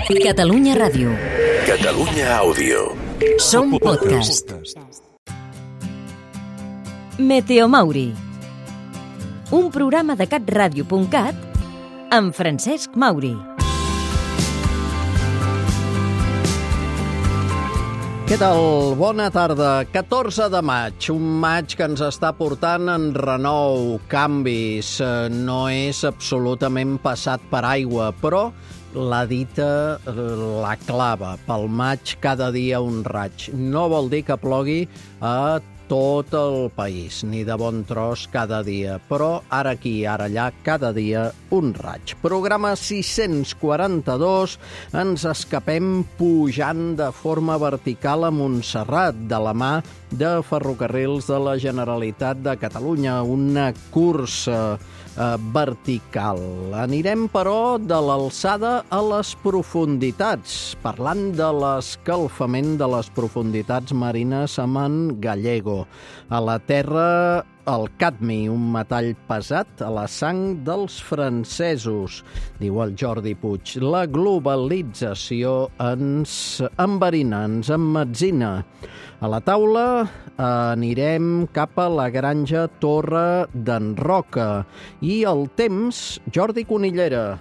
Catalunya Ràdio. Catalunya Àudio. Som podcast. Meteomauri. Un programa de catradio.cat amb Francesc Mauri. Què tal? Bona tarda. 14 de maig, un maig que ens està portant en renou, canvis. No és absolutament passat per aigua, però la dita la clava. Pel maig, cada dia un raig. No vol dir que plogui a tot el país, ni de bon tros cada dia, però ara aquí, ara allà, cada dia un raig. Programa 642, ens escapem pujant de forma vertical a Montserrat, de la mà de Ferrocarrils de la Generalitat de Catalunya, una cursa vertical. Anirem, però, de l'alçada a les profunditats, parlant de l'escalfament de les profunditats marines amb en Gallego. A la Terra, el cadmi, un metall pesat a la sang dels francesos, diu el Jordi Puig. La globalització ens enverina, ens emmetzina. A la taula anirem cap a la granja Torre d'en Roca. I el temps, Jordi Conillera,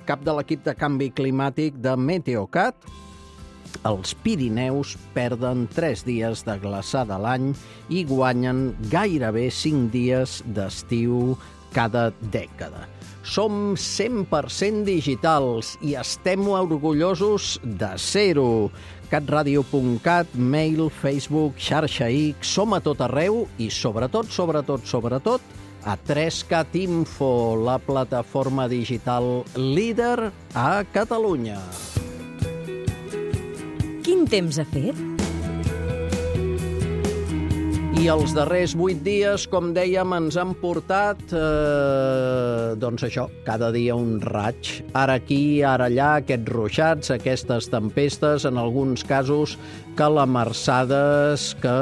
cap de l'equip de canvi climàtic de Meteocat. Els Pirineus perden 3 dies de glaçada a l'any i guanyen gairebé 5 dies d'estiu cada dècada. Som 100% digitals i estem orgullosos de ser-ho. catradio.cat, mail, Facebook, xarxa X, som a tot arreu i sobretot a 3Cat Info, la plataforma digital líder a Catalunya. Quin temps ha fet? I els darrers 8 dies, com dèiem, ens han portat, doncs això, cada dia un raig. Ara aquí, ara allà, aquests ruixats, aquestes tempestes, en alguns casos calamarsades que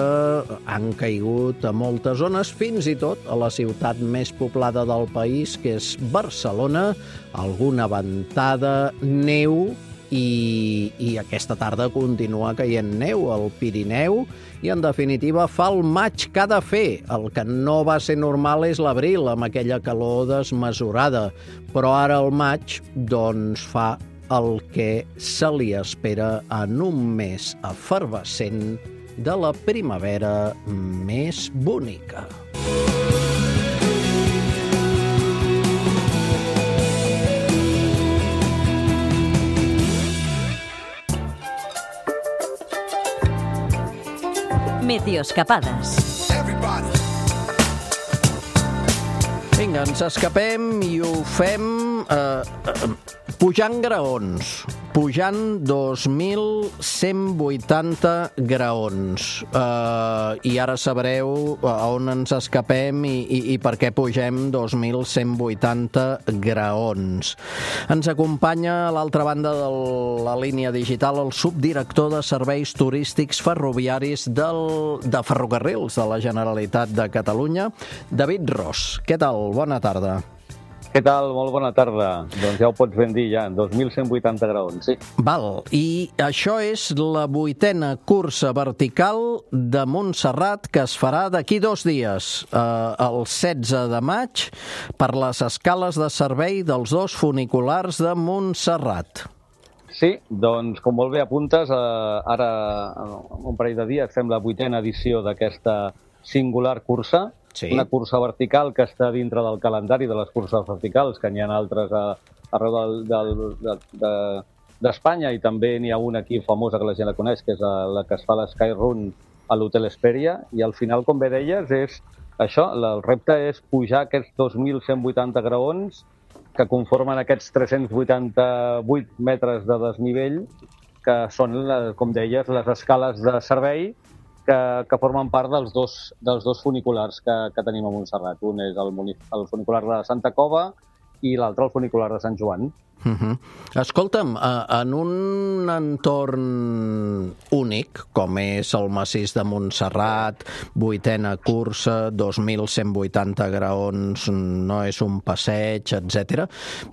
han caigut a moltes zones, fins i tot a la ciutat més poblada del país, que és Barcelona, alguna ventada, neu, i aquesta tarda continua caient neu al Pirineu i, en definitiva, fa el maig que ha de fer. El que no va ser normal és l'abril, amb aquella calor desmesurada. Però ara el maig, doncs, fa el que se li espera en un mes efervescent de la primavera més bonica. Meteoscapades. Vinga, ens escapem i ho fem pujant graons, pujant 2.180 graons. I ara sabreu a on ens escapem i per què pugem 2.180 graons. Ens acompanya a l'altra banda de la línia digital el subdirector de Serveis Turístics Ferroviaris de Ferrocarrils de la Generalitat de Catalunya, David Ros. Què tal? Bona tarda. Què tal? Molt bona tarda. Doncs ja ho pots ben dir, ja, 2.180 graons, sí. Val, i això és la 8a cursa vertical de Montserrat que es farà d'aquí 2 dies, el 16 de maig, per les escales de servei dels 2 funiculars de Montserrat. Sí, doncs com molt bé apuntes, ara un parell de dies fem la 8a edició d'aquesta singular cursa. Sí. Una cursa vertical que està dintre del calendari de les curses verticals, que n'hi ha altres arreu d'Espanya, i també n'hi ha una aquí famosa que la gent la coneix, que és la que es fa l'Sky Run a l'Hotel Hesperia, i al final, com bé deies, és això, el repte és pujar aquests 2.180 graons que conformen aquests 388 metres de desnivell, que són, com deies, les escales de servei que formen part dels dos funiculars que tenim a Montserrat. Un és el funicular de Santa Cova i l'altre el funicular de Sant Joan. Escolta'm, en un entorn únic, com és el massís de Montserrat, 8ª cursa, 2.180 graons, no és un passeig, etc.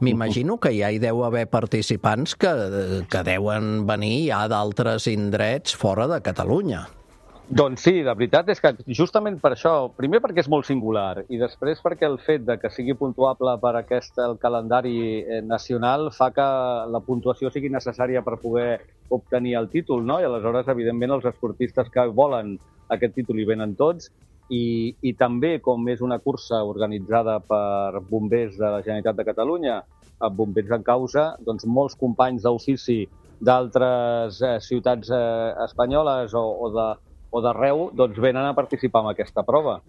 M'imagino que ja hi deu haver participants que deuen venir ja d'altres indrets fora de Catalunya. Doncs sí, la veritat és que justament per això, primer perquè és molt singular i després perquè el fet de que sigui puntuable per el calendari nacional fa que la puntuació sigui necessària per poder obtenir el títol, no? I aleshores, evidentment, els esportistes que volen aquest títol hi venen tots i també, com és una cursa organitzada per bombers de la Generalitat de Catalunya, bombers en causa, doncs molts companys d'ofici d'altres ciutats espanyoles o d'arreu, doncs venen a participar en aquesta prova.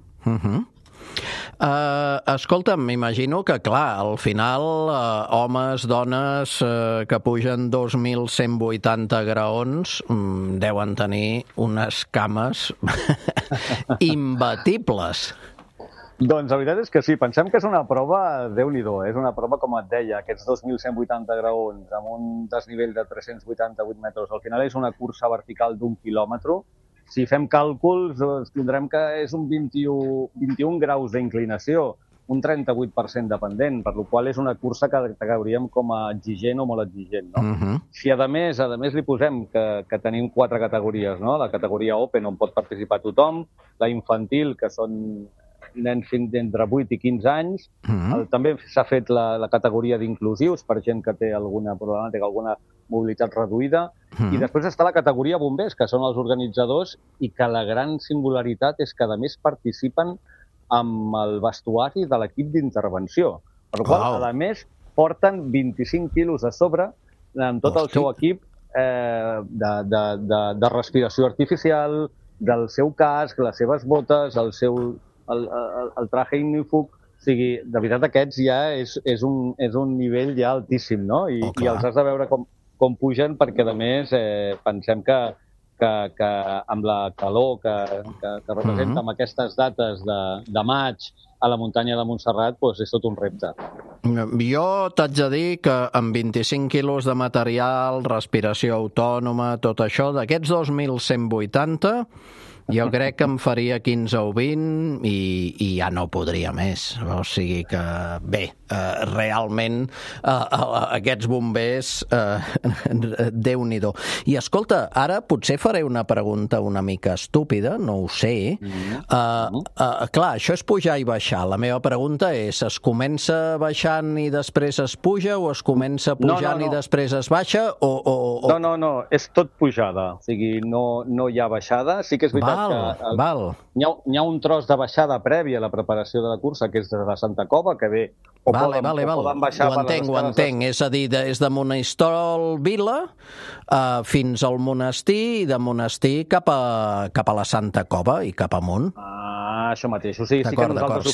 Escolta'm, m'imagino que, clar, al final, homes, dones que pugen 2.180 graons deuen tenir unes cames imbatibles. Doncs la veritat és que sí, pensem que és una prova, Déu-n'hi-do, és una prova, com et deia, aquests 2.180 graons amb un desnivell de 388 metres. Al final és una cursa vertical d'1 quilòmetre. Si fem càlculs, tindrem que és un 21 graus d'inclinació, un 38% dependent, per la qual és una cursa que cauríem com a exigent o molt exigent. No? Si a més li posem que tenim 4 categories, no? La categoria Open, on pot participar tothom, la infantil, que són nens d'entre 8 i 15 anys, també s'ha fet la categoria d'inclusius per gent que té alguna problemàtica, alguna mobilitat reduïda, i després està la categoria bombers, que són els organitzadors, i que la gran singularitat és que, a més, participen amb el vestuari de l'equip d'intervenció. Per la qual, a més, porten 25 quilos a sobre amb tot el seu equip de respiració artificial, del seu casc, les seves botes, el traje ignífug. O sigui, de veritat, aquests ja és un nivell ja altíssim, no? I els has de veure com pugen, perquè, a més, pensem que amb la calor que representa amb aquestes dates de maig a la muntanya de Montserrat, doncs és tot un repte. Jo t'haig de dir que amb 25 quilos de material, respiració autònoma, tot això, d'aquests 2.180, jo crec que em faria 15 o 20 i ja no podria més. O sigui que, bé, realment aquests bombers, Déu-n'hi-do. I escolta, ara potser faré una pregunta una mica estúpida, no ho sé. Clar, això és pujar i baixar. La meva pregunta és, es comença baixant i després es puja o es comença pujant i després es baixa? No, és tot pujada. O sigui, no hi ha baixada. Sí que és veritat Hi ha un tros de baixada prèvia a la preparació de la cursa, que és de la Santa Cova, que bé, poden baixar... Ho entenc. És a dir, és de Monistrol Vila fins al monestir i de monestir cap a la Santa Cova i cap amunt. Això mateix. O sigui, sí que nosaltres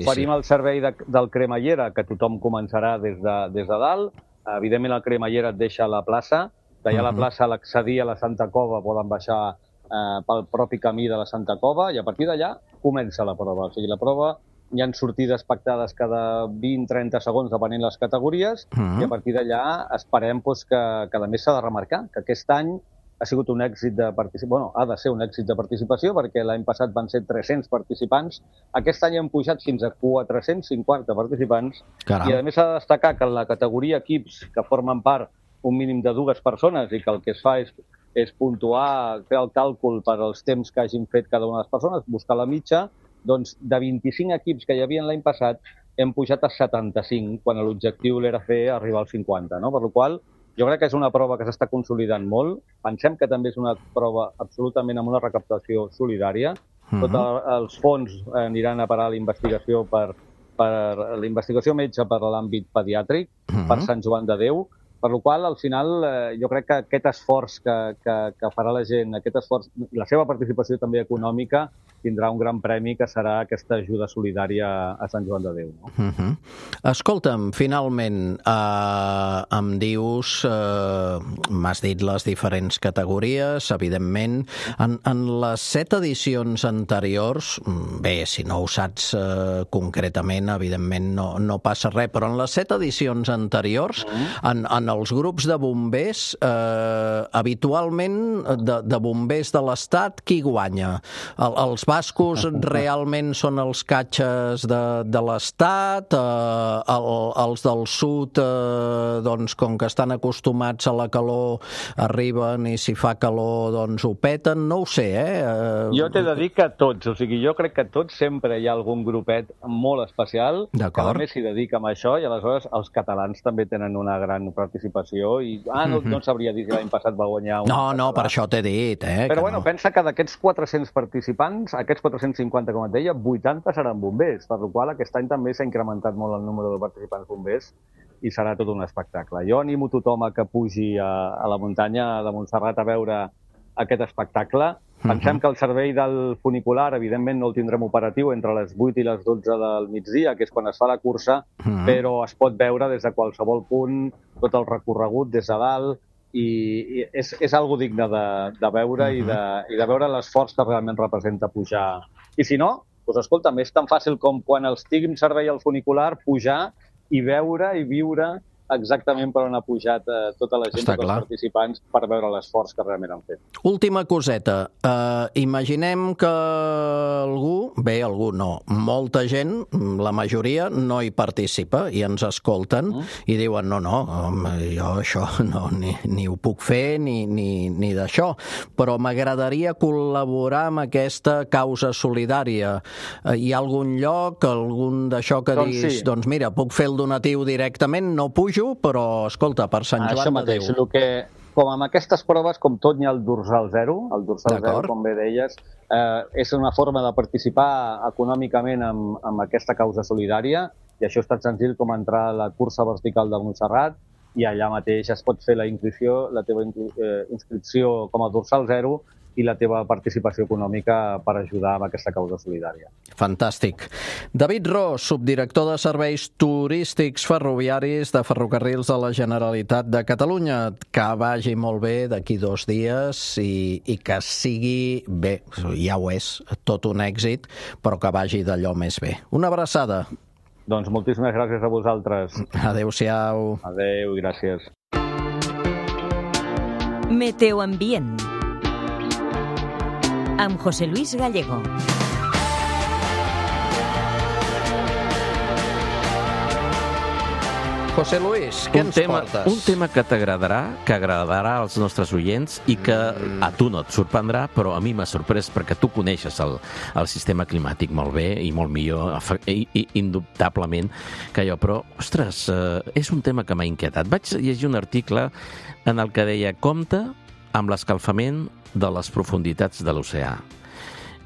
oferim el servei del cremallera, que tothom començarà des de dalt. Evidentment, el cremallera et deixa a la plaça. D'allà a la plaça, a l'accedir a la Santa Cova, poden baixar pel propi camí de la Santa Cova, i a partir d'allà comença la prova. O sigui, la prova hi ha sortides pactades cada 20-30 segons, depenent les categories, i a partir d'allà esperem que a més s'ha de remarcar que aquest any ha sigut un èxit de participació, ha de ser un èxit de participació, perquè l'any passat van ser 300 participants, aquest any hem pujat fins a 450 participants, i a més s'ha de destacar que en la categoria equips, que formen part un mínim de 2 persones, i que el que es fa és puntuar, fer el càlcul per als temps que hagin fet cada una de les persones, buscar la mitja, doncs de 25 equips que hi havia l'any passat hem pujat a 75, quan l'objectiu era fer arribar als 50, no? Per la qual jo crec que és una prova que s'està consolidant molt. Pensem que també és una prova absolutament amb una recaptació solidària. Tots els fons aniran a parar a la investigació per la investigació metge per l'àmbit pediàtric, per Sant Joan de Déu. Per la qual, al final, jo crec que aquest esforç que farà la gent, aquest esforç, la seva participació també econòmica, tindrà un gran premi que serà aquesta ajuda solidària a Sant Joan de Déu. No? Escolta'm, finalment, em dius, m'has dit les diferents categories, evidentment. En les 7 edicions anteriors, bé, si no ho saps concretament, evidentment no passa res, però en les 7 edicions anteriors, en els grups de bombers, habitualment de bombers de l'Estat, qui guanya? Els bascos realment són els catxes de l'Estat, els del sud, doncs, com que estan acostumats a la calor, arriben i si fa calor, doncs ho peten, no ho sé, Jo t'he de dir que tots, o sigui, jo crec que tots sempre hi ha algun grupet molt especial que a més s'hi dedica a això i aleshores els catalans també tenen una gran participació i, no sabria dir si l'any passat va guanyar un... No, per això t'he dit, Però bueno, pensa que d'aquests 400 participants, aquests 450, com et deia, 80 seran bombers, per la qual aquest any també s'ha incrementat molt el número de participants bombers i serà tot un espectacle. Jo animo tothom a que pugi a la muntanya de Montserrat a veure aquest espectacle. Pensem que el servei del funicular, evidentment, no el tindrem operatiu entre les 8 i les 12 del migdia, que és quan es fa la cursa, però es pot veure des de qualsevol punt, tot el recorregut des de dalt, i és algo digne de veure i de veure l'esforç que realment representa pujar. I si no, doncs escolta'm, és tan fàcil com quan els tinguin servei al funicular, pujar i veure i viure exactament per on ha pujat tota la gent, tots els participants, per veure l'esforç que realment han fet. Última coseta. Imaginem que algú no, molta gent, la majoria, no hi participa i ens escolten i diuen no, jo això ni ho puc fer ni d'això, però m'agradaria col·laborar amb aquesta causa solidària. Hi ha algun lloc, algun d'això que diguis, doncs mira, puc fer el donatiu directament, no pujo, però, escolta, per Sant Joan de Déu. Això mateix, com amb aquestes proves, com tot n'hi ha el dorsal zero, com bé deies, és una forma de participar econòmicament amb aquesta causa solidària, i això és tan senzill com entrar a la cursa vertical de Montserrat, i allà mateix es pot fer la teva inscripció com a dorsal zero, i la teva participació econòmica per ajudar amb aquesta causa solidària. Fantàstic. David Ros, subdirector de Serveis Turístics Ferroviaris de Ferrocarrils de la Generalitat de Catalunya. Que vagi molt bé d'aquí 2 dies i que sigui bé, ja ho és, tot un èxit, però que vagi d'allò més bé. Una abraçada. Doncs moltíssimes gràcies a vosaltres. Adéu-siau. Adéu, gràcies. Meteoambient amb José Luis Gallego. José Luis, què ens portes? Un tema que t'agradarà, que agradarà als nostres oients i que a tu no et sorprendrà, però a mi m'ha sorprès perquè tu coneixes el sistema climàtic molt bé i molt millor, indubtablement, que jo. Però, ostres, és un tema que m'ha inquietat. Vaig llegir un article en el que deia compte amb l'escalfament de les profunditats de l'oceà.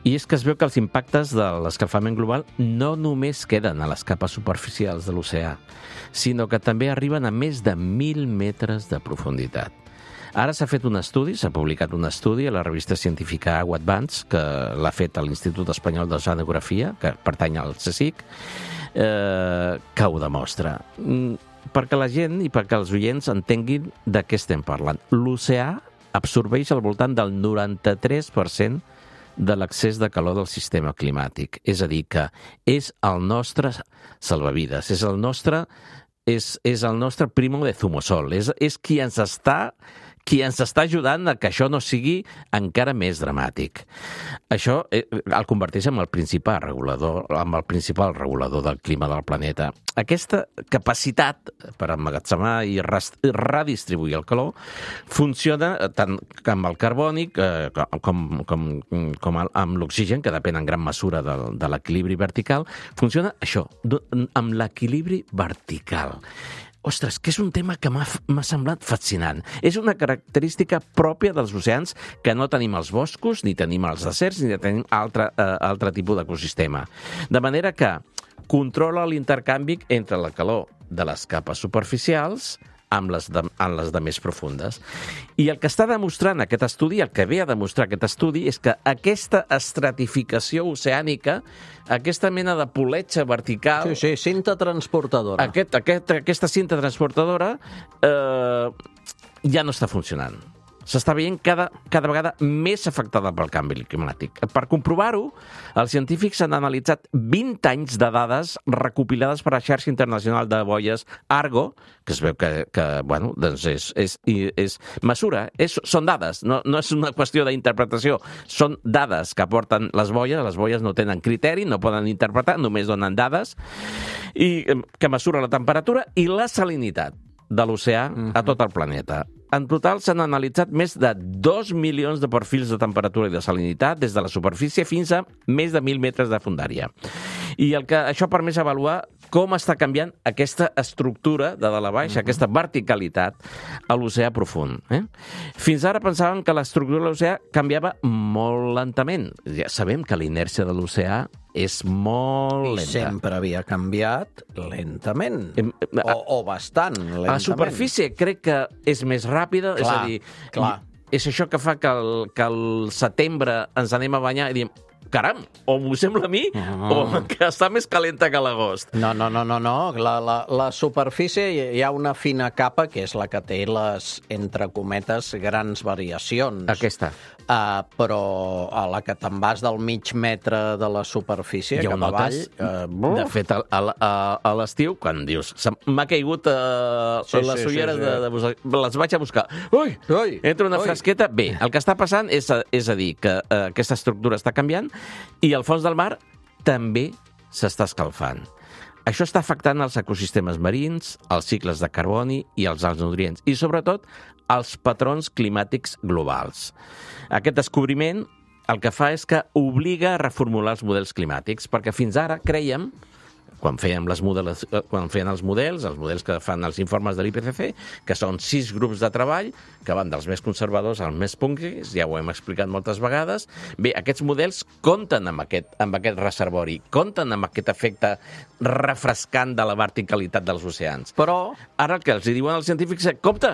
I és que es veu que els impactes de l'escalfament global no només queden a les capes superficials de l'oceà, sinó que també arriben a més de 1.000 metres de profunditat. Ara s'ha fet un estudi, s'ha publicat un estudi a la revista científica Agua Advance, que l'ha fet a l'Institut Espanyol d'Oceanografia, que pertany al CSIC, que ho demostra. Perquè la gent i perquè els oients entenguin de què estem parlant. L'oceà absorbeix al voltant del 93% de l'excés de calor del sistema climàtic. És a dir, que és el nostre salvavides, és el nostre primo de zumosol, és qui ens està ajudant a que això no sigui encara més dramàtic. Això el converteix en el principal regulador del clima del planeta. Aquesta capacitat per emmagatzemar i redistribuir el calor funciona tant amb el carbònic com amb l'oxigen, que depèn en gran mesura de l'equilibri vertical. Funciona això, amb l'equilibri vertical. Ostres, que és un tema que m'ha semblat fascinant. És una característica pròpia dels oceans que no tenim als boscos, ni tenim als deserts, ni tenim altre tipus d'ecosistema. De manera que controla l'intercanvi entre la calor de les capes superficials en les de més profundes. I el que està demostrant aquest estudi, el que ve a demostrar aquest estudi, és que aquesta estratificació oceànica, aquesta mena de poletxa vertical... Sí, cinta transportadora. Aquesta cinta transportadora ja no està funcionant. S'està veient cada vegada més afectada pel canvi climàtic. Per comprovar-ho, els científics han analitzat 20 anys de dades recopilades per la xarxa internacional de boies Argo, que es veu que bueno, doncs mesura, són dades, no és una qüestió d'interpretació, són dades que aporten les boies no tenen criteri, no poden interpretar, només donen dades, i que mesura la temperatura i la salinitat de l'oceà a tot el planeta. En total s'han analitzat més de 2 milions de perfils de temperatura i de salinitat des de la superfície fins a més de 1.000 metres de fondària. I això ha permès avaluar com està canviant aquesta estructura de dalt a baix, aquesta verticalitat a l'oceà profund. Fins ara pensàvem que l'estructura de l'oceà canviava molt lentament. Ja sabem que la inèrcia de l'oceà és molt lenta. I sempre havia canviat lentament, o bastant lentament. A la superfície crec que és més ràpida, és a dir, és això que fa que al setembre ens anem a banyar i diem, caram, o m'ho sembla a mi, o que està més calenta que l'agost. No. La superfície hi ha una fina capa que és la que té les, entre cometes, grans variacions. Aquesta. Però a la que te'n vas del mig metre de la superfície cap avall... De fet, a l'estiu, quan dius m'ha caigut les ulleres, les vaig a buscar. Ui! Entra una fresqueta. Bé, el que està passant és a dir que aquesta estructura està canviant i el fons del mar també s'està escalfant. Això està afectant els ecosistemes marins, els cicles de carboni i els alts nutrients, i sobretot els patrons climàtics globals. Aquest descobriment el que fa és que obliga a reformular els models climàtics, perquè fins ara creiem, quan feien els models que fan els informes de l'IPCC, que són 6 grups de treball, que van dels més conservadors als més punkis, ja ho hem explicat moltes vegades. Bé, aquests models compten amb aquest reservori, compten amb aquest efecte refrescant de la verticalitat dels oceans. Però ara el que els diuen els científics és, compte,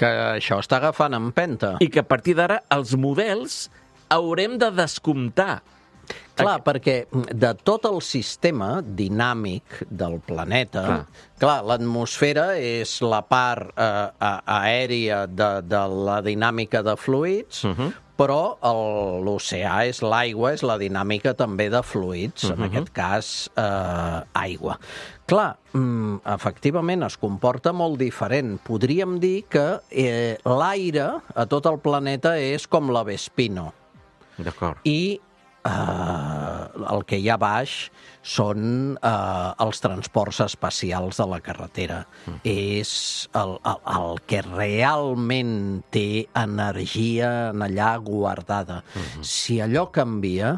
que això està agafant empenta. I que a partir d'ara els models haurem de descomptar. Clar, perquè de tot el sistema dinàmic del planeta, l'atmosfera és la part aèria de la dinàmica de fluids, però l'oceà és l'aigua, és la dinàmica també de fluids, en aquest cas aigua. Clar, efectivament es comporta molt diferent. Podríem dir que l'aire a tot el planeta és com la Vespino. D'acord. I el que hi ha baix són els transports espacials de la carretera. És el que realment té energia en allà guardada. Si allò canvia,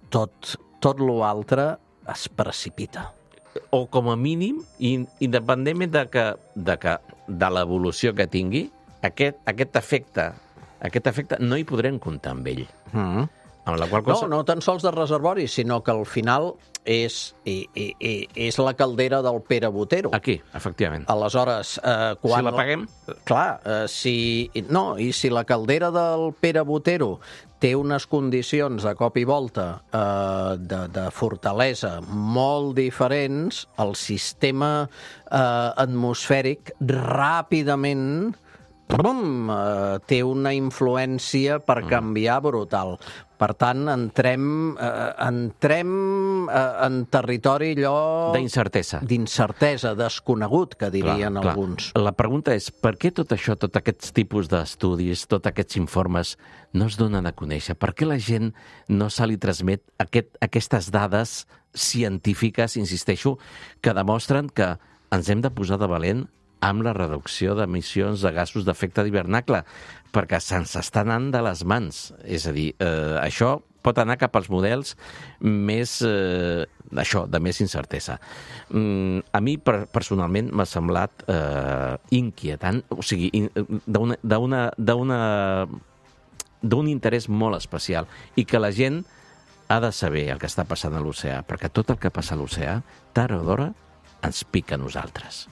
tot l'altre es precipita. O com a mínim, independentment de l'evolució que tingui, aquest efecte no hi podrem comptar amb ell. Amb la qual cosa... No tan sols de reservori, sinó que al final és la caldera del Pere Botero. Aquí, efectivament. Aleshores, si la paguem? Clar, i si la caldera del Pere Botero té unes condicions de cop i volta de fortalesa molt diferents, el sistema atmosfèric ràpidament té una influència per canviar brutal. Per tant, entrem en territori allò... D'incertesa, desconegut, que dirien alguns. La pregunta és, per què tot això, tots aquests tipus d'estudis, tots aquests informes, no es donen a conèixer? Per què la gent no se li transmet aquestes dades científiques, insisteixo, que demostren que ens hem de posar de valent amb la reducció d'emissions de gasos d'efecte d'hivernacle, perquè se'ns està anant de les mans. És a dir, això pot anar cap als models més, de més incertesa. A mi, personalment, m'ha semblat inquietant, o sigui, d'un interès molt especial, i que la gent ha de saber el que està passant a l'oceà, perquè tot el que passa a l'oceà, tard o d'hora, ens pica a nosaltres.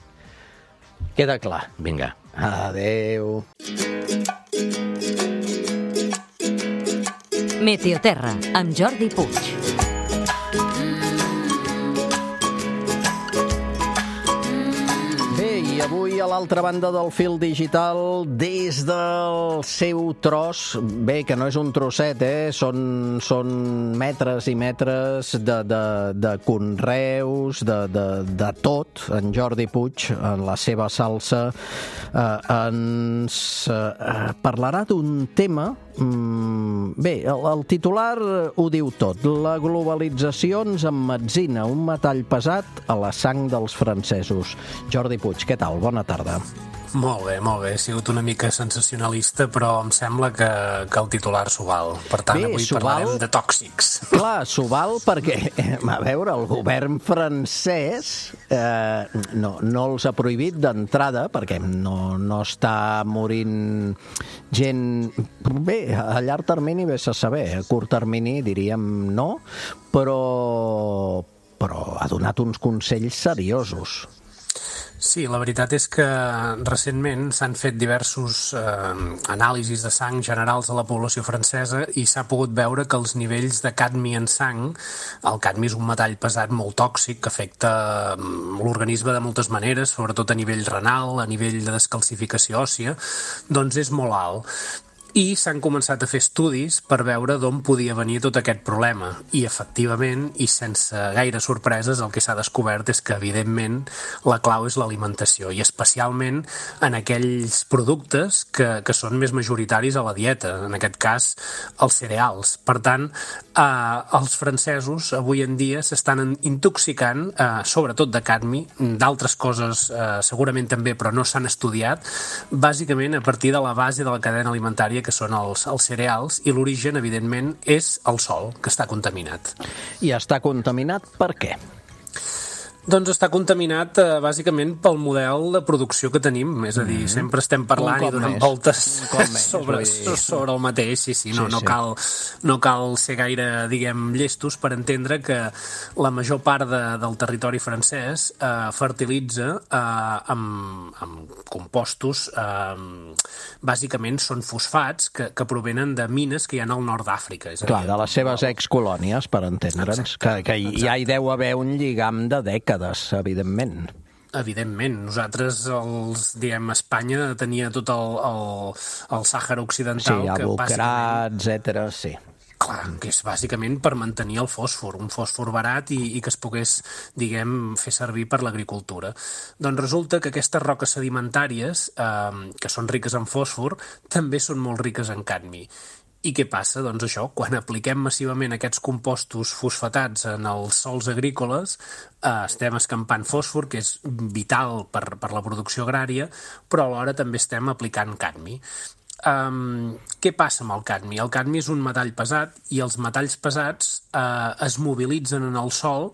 Queda clar. Vinga. Adéu. Meteoterra, amb Jordi Puig. I avui a l'altra banda del fil digital, des del seu tros, bé, que no és un trosset, són metres i metres de conreus, de tot. En Jordi Puig, en la seva salsa, ens parlarà d'un tema. Bé, el titular ho diu tot. La globalització ens emmetzina un metall pesat a la sang dels francesos. Jordi Puig, què tal? Bona tarda. Molt bé. He sigut una mica sensacionalista, però em sembla que el titular s'ho val. Per tant, avui parlarem de tòxics. Clar, s'ho val perquè, a veure, el govern francès no els ha prohibit d'entrada, perquè no està morint gent... Bé, a llarg termini vés a saber, a curt termini diríem no, però ha donat uns consells seriosos. Sí, la veritat és que recentment s'han fet diversos anàlisis de sang generals a la població francesa i s'ha pogut veure que els nivells de cadmi en sang, el cadmi és un metall pesat molt tòxic que afecta l'organisme de moltes maneres, sobretot a nivell renal, a nivell de descalcificació òssia, doncs és molt alt. I s'han començat a fer estudis per veure d'on podia venir tot aquest problema. I, efectivament, i sense gaire sorpreses, el que s'ha descobert és que, evidentment, la clau és l'alimentació, i especialment en aquells productes que són més majoritaris a la dieta, en aquest cas, els cereals. Per tant, els francesos, avui en dia, s'estan intoxicant, sobretot de cadmi, d'altres coses segurament també, però no s'han estudiat, bàsicament a partir de la base de la cadena alimentària que són els cereals, i l'origen, evidentment, és el sol, que està contaminat. I està contaminat per què? Doncs està contaminat bàsicament pel model de producció que tenim, és a dir, sempre estem parlant i donant voltes sobre el mateix, sí. No cal ser gaire, diguem, llestos per entendre que la major part del territori francès fertilitza amb compostos, bàsicament són fosfats que provenen de mines que hi ha al nord d'Àfrica. Clar, de les seves excolònies, per entendre'ns, que ja hi deu haver un lligam de dècades, evidentment. Evidentment. Nosaltres, Espanya tenia tot el Sàhara Occidental. Sí, Abocarà, etcètera, sí. Clar, que és bàsicament per mantenir el fòsfor, un fòsfor barat i que es pogués, diguem, fer servir per l'agricultura. Doncs resulta que aquestes roques sedimentàries, que són riques en fòsfor, també són molt riques en cadmi. I què passa? Doncs això, quan apliquem massivament aquests compostos fosfatats en els sòls agrícoles, estem escampant fòsfor, que és vital per la producció agrària, però alhora també estem aplicant cadmi. Què passa amb el cadmi? El cadmi és un metall pesat i els metalls pesats es mobilitzen en el sòl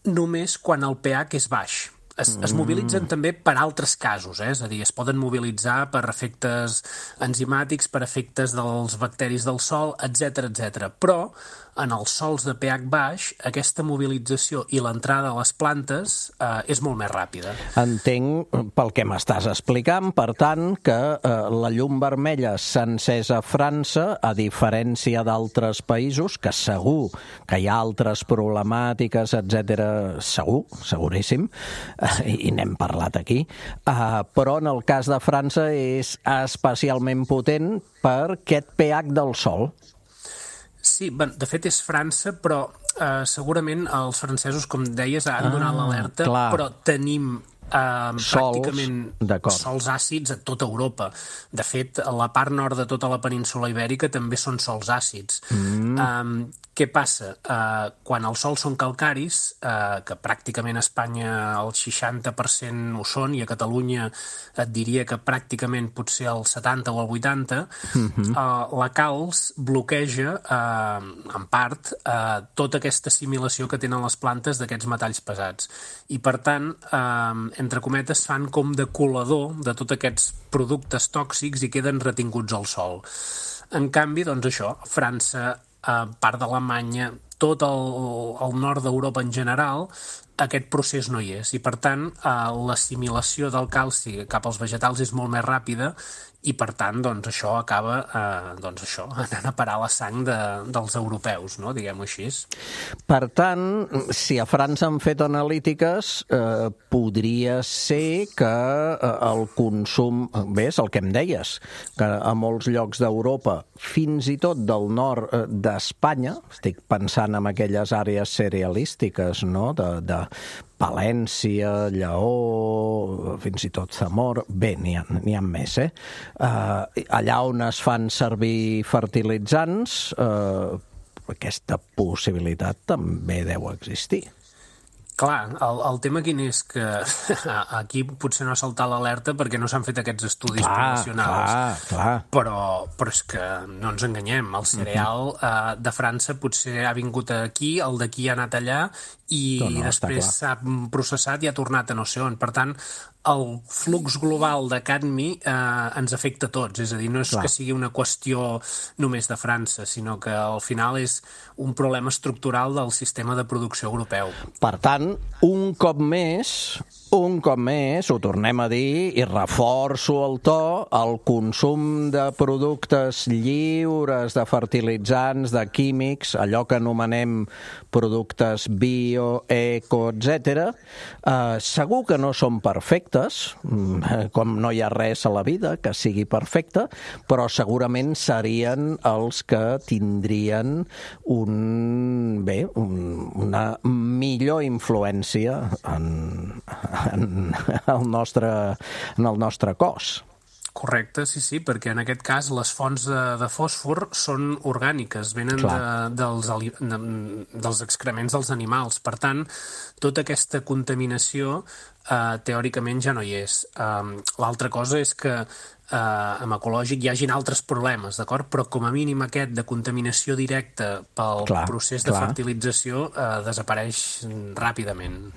només quan el pH és baix. Es mobilitzen també per altres casos, és a dir, es poden mobilitzar per efectes enzimàtics, per efectes dels bacteris del sòl, etc. Però en els sòls de pH baix, aquesta mobilització i l'entrada a les plantes és molt més ràpida. Entenc, pel que m'estàs explicant, per tant, que la llum vermella s'ha encès a França, a diferència d'altres països, que segur que hi ha altres problemàtiques, etc. Seguríssim, i n'hem parlat aquí, però en el cas de França és especialment potent per aquest pH del sòl. Sí, de fet és França, però segurament els francesos, com deies, han donat l'alerta, però tenim pràcticament sols àcids a tota Europa. De fet, la part nord de tota la península Ibèrica també són sols àcids. Què passa? Quan els sols són calcaris, que pràcticament a Espanya el 60% ho són, i a Catalunya et diria que pràcticament potser el 70 o el 80, la calç bloqueja, en part, tota aquesta assimilació que tenen les plantes d'aquests metalls pesats. I, per tant, entre cometes, fan com de colador de tots aquests productes tòxics i queden retinguts al sòl. En canvi, doncs això, França, part d'Alemanya, tot el nord d'Europa en general, aquest procés no hi és i, per tant, l'assimilació del calci cap als vegetals és molt més ràpida i, per tant, doncs, això acaba anant a parar la sang dels europeus, no? Diguem-ho així. Per tant, si a França han fet analítiques, podria ser que el consum... Bé, és el que em deies, que a molts llocs d'Europa, fins i tot del nord d'Espanya, estic pensant en aquelles àrees cerealístiques, no?, de Palència, Lleó, fins i tot Zamora... Bé, n'hi ha més, allà on es fan servir fertilitzants, aquesta possibilitat també deu existir. Clar, el tema quin és que aquí potser no ha saltat l'alerta perquè no s'han fet aquests estudis poblacionals. Clar. Però és que no ens enganyem, el cereal de França potser ha vingut aquí, el d'aquí ha anat allà i després s'ha processat i ha tornat a no sé on. Per tant, el flux global de cadmi ens afecta a tots, és a dir, no és que sigui una qüestió només de França, sinó que al final és un problema estructural del sistema de producció europeu. Per tant, un cop més, ho tornem a dir i reforço el to, el consum de productes lliures de fertilitzants, de químics, allò que anomenem productes bio, eco, etc. Segur que no són perfectes, com no hi ha res a la vida que sigui perfecte, però segurament serien els que tindrien una millor influència en el nostre cos. Correcte, sí, perquè en aquest cas les fonts de fòsfor són orgàniques, venen dels excrements dels animals. Per tant, tota aquesta contaminació teòricament ja no hi és. L'altra cosa és que amb ecològic hi hagin altres problemes, d'acord? Però com a mínim aquest de contaminació directa pel procés de fertilització desapareix ràpidament.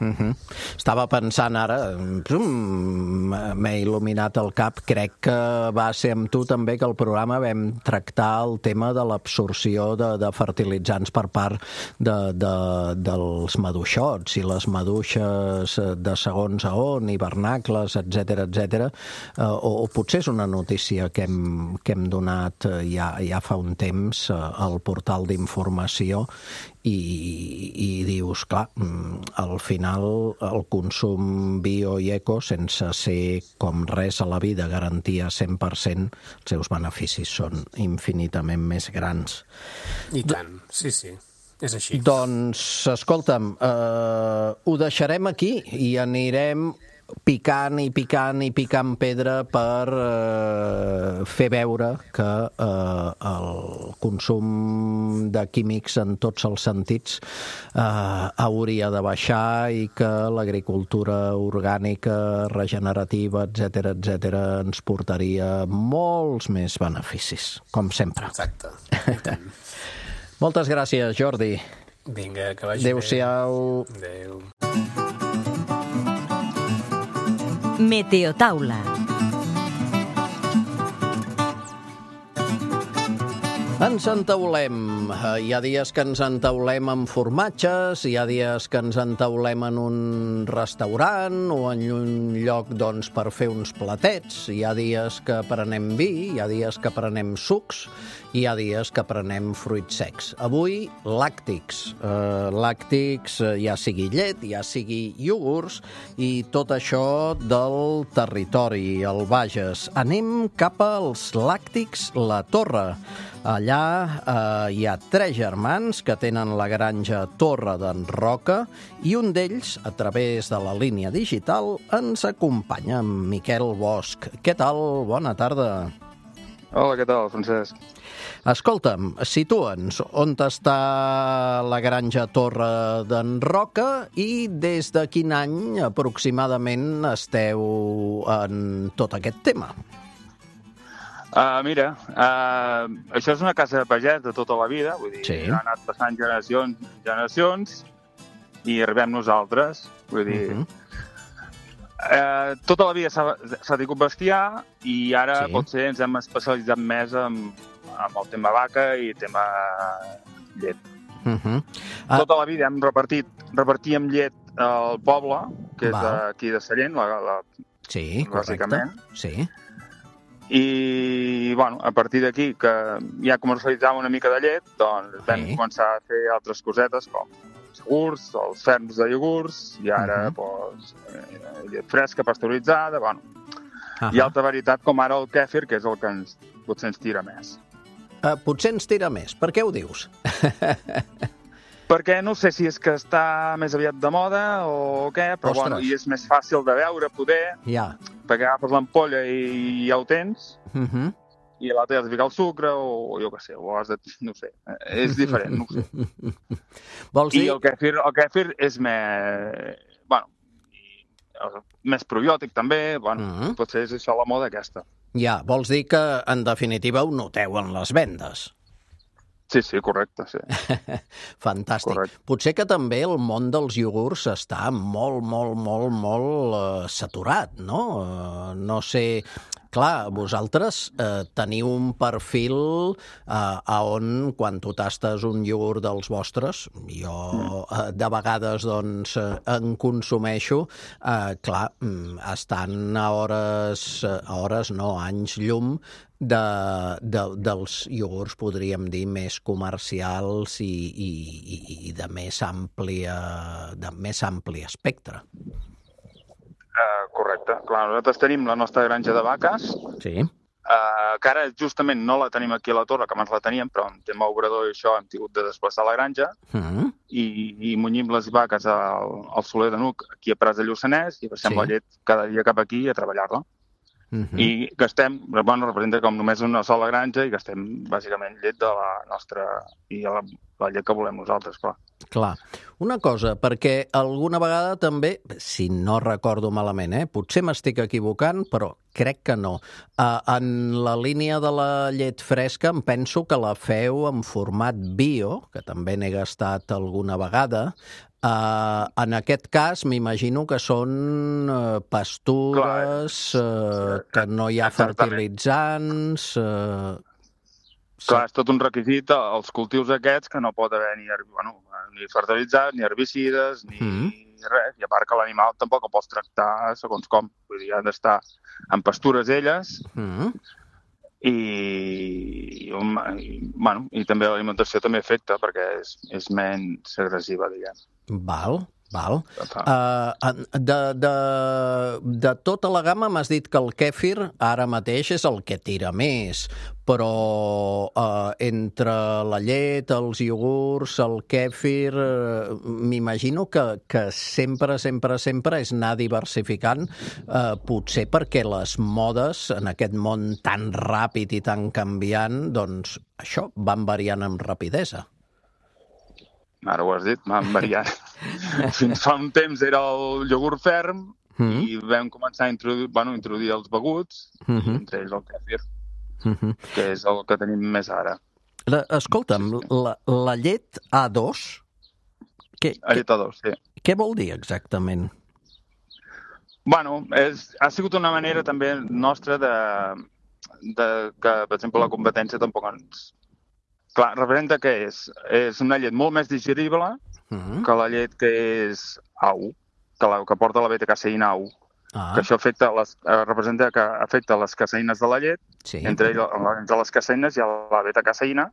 Estava pensant ara, m'he il·luminat el cap, crec que va ser amb tu també que al programa vam tractar el tema de l'absorció de fertilitzants per part dels maduixots i les maduixes de segons a on, hivernacles, etc. O potser és una notícia que hem donat ja fa un temps al portal d'informació i dius, clar, al final el consum bio i eco, sense ser com res a la vida garantia 100%, els seus beneficis són infinitament més grans. I tant, sí. És així. Doncs, escolta'm, ho deixarem aquí i anirem picant pedra per fer veure que el consum de químics en tots els sentits hauria de baixar i que l'agricultura orgànica, regenerativa, etc., ens portaria molts més beneficis, com sempre. Exacte. Moltes gràcies, Jordi. Vinga, que vagi bé. Adéu-siau. Adéu. Meteotaula. Ens entaulem. Hi ha dies que ens entaulem amb formatges, hi ha dies que ens entaulem en un restaurant o en un lloc per fer uns platets, hi ha dies que prenem vi, hi ha dies que prenem sucs, hi ha dies que prenem fruits secs. Avui, làctics. Làctics, ja sigui llet, ja sigui iogurts, i tot això del territori, el Bages. Anem cap als làctics La Torre. Allà hi ha 3 germans que tenen la granja Torre d'en Roca i un d'ells, a través de la línia digital, ens acompanya, Miquel Bosch. Què tal? Bona tarda. Hola, què tal, Francesc? Escolta'm, situa'ns on està la granja Torre d'en Roca i des de quin any aproximadament esteu en tot aquest tema? Mira, això és una casa de pagès de tota la vida, vull dir, ha anat passant generacions i arribem nosaltres, vull dir, tota la vida s'ha tingut bestiar i ara potser ens hem especialitzat més en el tema vaca i tema llet. Tota la vida hem repartíem llet el poble, que és d'aquí de Sallent, sí, correcte. Sí. I, bueno, a partir d'aquí, que ja comercialitzàvem una mica de llet, doncs vam començar a fer altres cosetes, com els iogurts, els ferms de iogurts, i ara, llet fresca, pasteuritzada, bueno. I altra varietat, com ara el kèfir, que és el que potser ens tira més. Potser ens tira més. Per què ho dius? Perquè no sé si és que està més aviat de moda o què, però bueno, i és més fàcil de veure, poder, perquè agafes l'ampolla i ja ho tens, i a l'altre has de ficar el sucre, o jo què sé, o has de... no sé, és diferent, no ho sé. Vols dir... I el kèfir és més... bueno, més probiòtic també, bueno, potser és això la moda aquesta. Ja, vols dir que, en definitiva, ho noteu en les vendes. Sí, correcte, sí. Fantàstic. Correcte. Potser que també el món dels iogurts està molt saturat, no? No sé... Clar, vosaltres teniu un perfil on, quan tu tastes un iogurt dels vostres, jo de vegades doncs en consumeixo, clar, estan a hores no, anys llum dels iogurts, podríem dir, més comercials i de més ampli espectre. Correcte. Clar, nosaltres tenim la nostra granja de vaques, que ara justament no la tenim aquí a la Torre, que abans la teníem, però en tema obrador i això hem tingut de desplaçar la granja, i munyim les vaques al Soler de Nuc, aquí a Prats de Lluçanès, i passem la llet cada dia cap aquí a treballar-la. I gastem, bueno, representa com només una sola granja i gastem bàsicament llet de la nostra i la llet que volem nosaltres, clar. Clar. Una cosa, perquè alguna vegada també, si no recordo malament, potser m'estic equivocant, però crec que no. En la línia de la llet fresca em penso que la feu en format bio, que també n'he gastat alguna vegada. En aquest cas, m'imagino que són pastures, que no hi ha fertilitzants... Clar, és tot un requisit als cultius aquests que no pot haver ni fertilitzats, ni herbicides, ni res. I a part que l'animal tampoc el pots tractar segons com. Vull dir, han d'estar en pastures elles i també l'alimentació també afecta perquè és menys agressiva, diguem. Val. De tota la gamma m'has dit que el kèfir ara mateix és el que tira més, però entre la llet, els iogurts, el kèfir, m'imagino que sempre és anar diversificant, potser perquè les modes en aquest món tan ràpid i tan canviant, doncs això van variant amb rapidesa. Ara ho has dit, van variant. Fins fa un temps era el iogurt ferm i vam començar a introduir els beguts, entre ells el kèfir, que és el que tenim més ara. Escolta'm, la llet A2... La llet A2, sí. Què vol dir exactament? Bueno, ha sigut una manera també nostra de que, per exemple, la competència tampoc ens... Clar, representa que és una llet molt més digerible que la llet que és AU, que porta la beta-caseïna AU. Que això representa que afecta les caseïnes de la llet, entre les caseïnes hi ha la beta-caseïna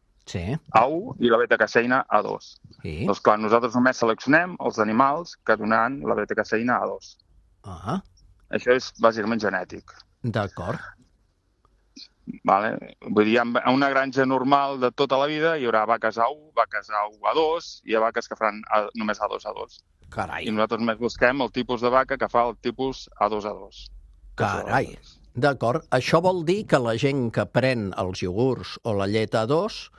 AU i la beta-caseïna A2. Doncs clar, nosaltres només seleccionem els animals que donaran la beta-caseïna A2. Això és bàsicament genètic. D'acord. Vale? Vull dir, en una granja normal de tota la vida hi haurà vaques A1, vaques A2 i hi ha vaques que faran només A2. Carai. I nosaltres només busquem el tipus de vaca que fa el tipus A2. Carai. D'acord. Això vol dir que la gent que pren els iogurts o la llet A2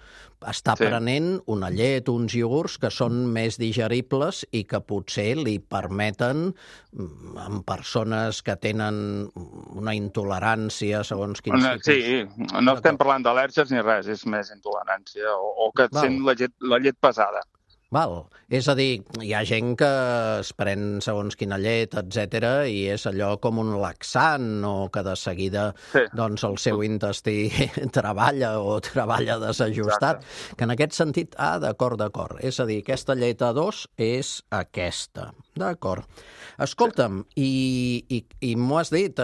està prenent una llet, uns iogurts que són més digeribles i que potser li permeten, en persones que tenen una intolerància segons quins tipus... Sí, no estem parlant d'al·lèrgies ni res, és més intolerància o que et sent la llet pesada. Val. És a dir, hi ha gent que es pren segons quina llet, etc i és allò com un laxant o que de seguida doncs el seu intestí treballa desajustat. Exacte. Que en aquest sentit, d'acord. És a dir, aquesta llet A2 és aquesta. D'acord. Escolta'm, i m'ho has dit,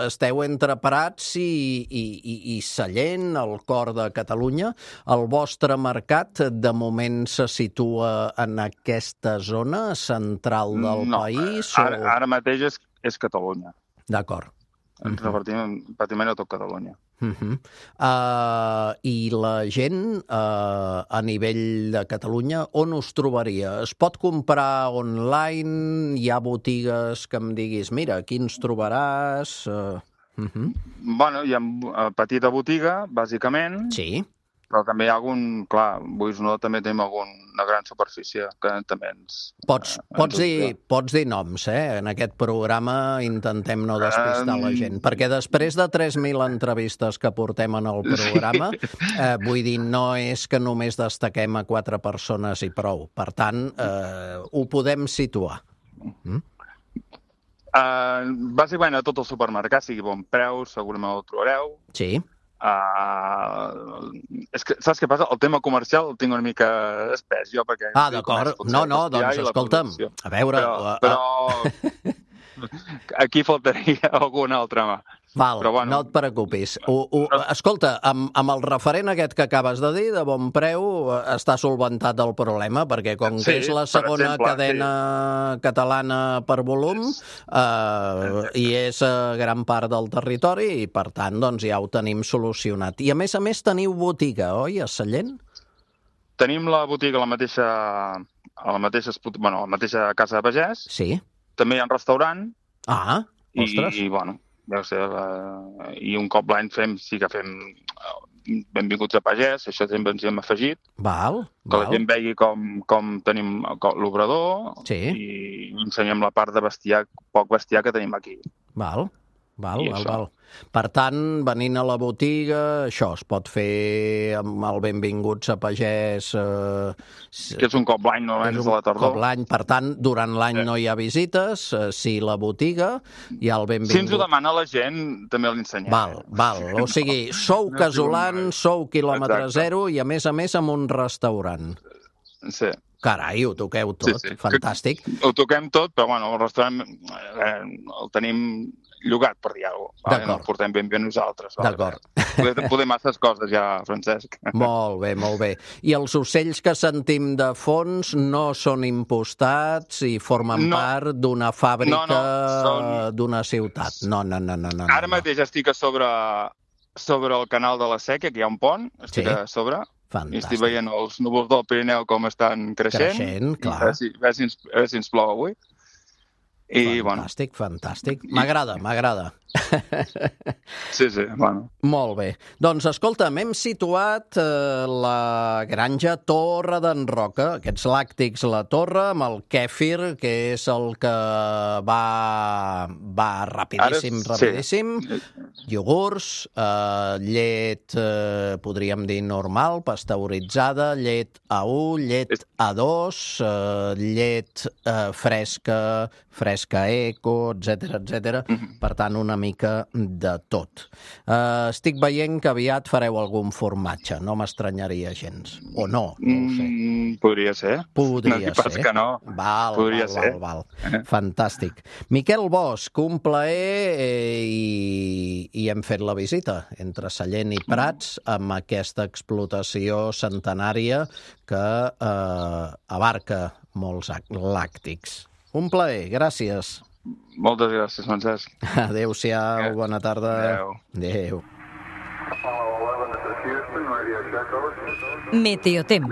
esteu entre Prats i Sallent, al cor de Catalunya. El vostre mercat, de moment, se situa en aquesta zona central del país? Ara mateix és Catalunya. D'acord. Ens repartim pràcticament a tot Catalunya. I la gent, a nivell de Catalunya, on us trobaria? Es pot comprar online? Hi ha botigues que em diguis, mira, aquí ens trobaràs? Bueno, hi ha petita botiga, bàsicament. Sí. Però també hi ha algun, clar, no també tenim alguna gran superfície que també ens... Pots dir noms, En aquest programa intentem no despistar la gent, perquè després de 3.000 entrevistes que portem en el programa, vull dir, no és que només destaquem a 4 persones i prou. Per tant, ho podem situar. Bàsicament a tot el supermercat, sigui bon preu, segurament el trobareu. Sí. És que, saps què passa? El tema comercial el tinc una mica espès, jo, perquè... D'acord. No, doncs, escolta'm, a veure... Però aquí faltaria alguna altra mà. Val, però, bueno, no et preocupis. Escolta, amb el referent aquest que acabes de dir, de bon preu, està solventat el problema, perquè com que és la segona cadena catalana per volum, i és gran part del territori, i per tant, doncs ja ho tenim solucionat. I a més teniu botiga, oi, a Sallent? Tenim la botiga a la mateixa casa de pagès. Sí. També hi ha un restaurant. Ostres. I bueno, deu ser, i un cop l'any fem benvinguts a pagès, això sempre ens hi hem afegit. Val. Que la gent vegi com tenim l'obrador i ensenyem la part de poc bestiar que tenim aquí. Val. Per tant, venint a la botiga, això es pot fer amb el benvinguts a pagès... Que és un cop l'any, normalment és a la tardor. Cop l'any, per tant, durant l'any no hi ha visites, si la botiga hi ha el benvingut... Si ens ho demana la gent, també l'ensenyem. Val. O sigui, sou casolans, sou quilòmetre zero i, a més, amb un restaurant. Sí. Carai, ho toqueu tot, fantàstic. Ho toquem tot, però bueno, el restaurant el tenim llogat, per dir alguna cosa. No el portem ben bé nosaltres. D'acord. Podem masses coses ja, Francesc. Molt bé. I els ocells que sentim de fons no són impostats i formen part d'una fàbrica d'una ciutat? No. Ara mateix estic a sobre el canal de la Sèquia, que hi ha un pont, estic a sobre. Fantàstic. I estic veient els núvols del Pirineu com estan creixent. Clar. A veure si ens plou avui. Fantàstic. M'agrada. Sí, bueno. Molt bé. Doncs, escolta'm, hem situat la granja Torre d'en Roca, aquests làctics La Torre, amb el kèfir, que és el que va rapidíssim. Iogurts, llet, podríem dir normal, pasteuritzada, llet A1, llet A2, llet fresca eco, etc. Per tant, una mica de tot. Estic veient que aviat fareu algun formatge, no m'estranyaria gens. O no ho sé. Podria ser. Podria ser. Pas que no. Val. Fantàstic. Miquel Bosch, un plaer i hem fet la visita entre Sallent i Prats amb aquesta explotació centenària que abarca molts làctics. Un plaer, gràcies. Moltes gràcies, Francesc. Adéu-siau, bona tarda. Adéu. Meteotemps.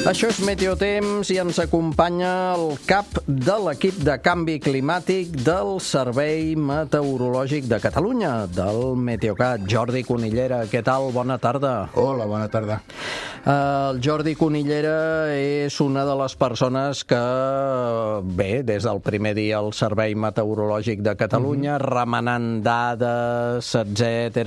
Això és Meteotemps i ens acompanya el cap de l'equip de canvi climàtic del Servei Meteorològic de Catalunya, del Meteocat, Jordi Conillera. Què tal? Bona tarda. Hola, bona tarda. El Jordi Conillera és una de les persones que, bé, des del primer dia al Servei Meteorològic de Catalunya, remenant dades, etc,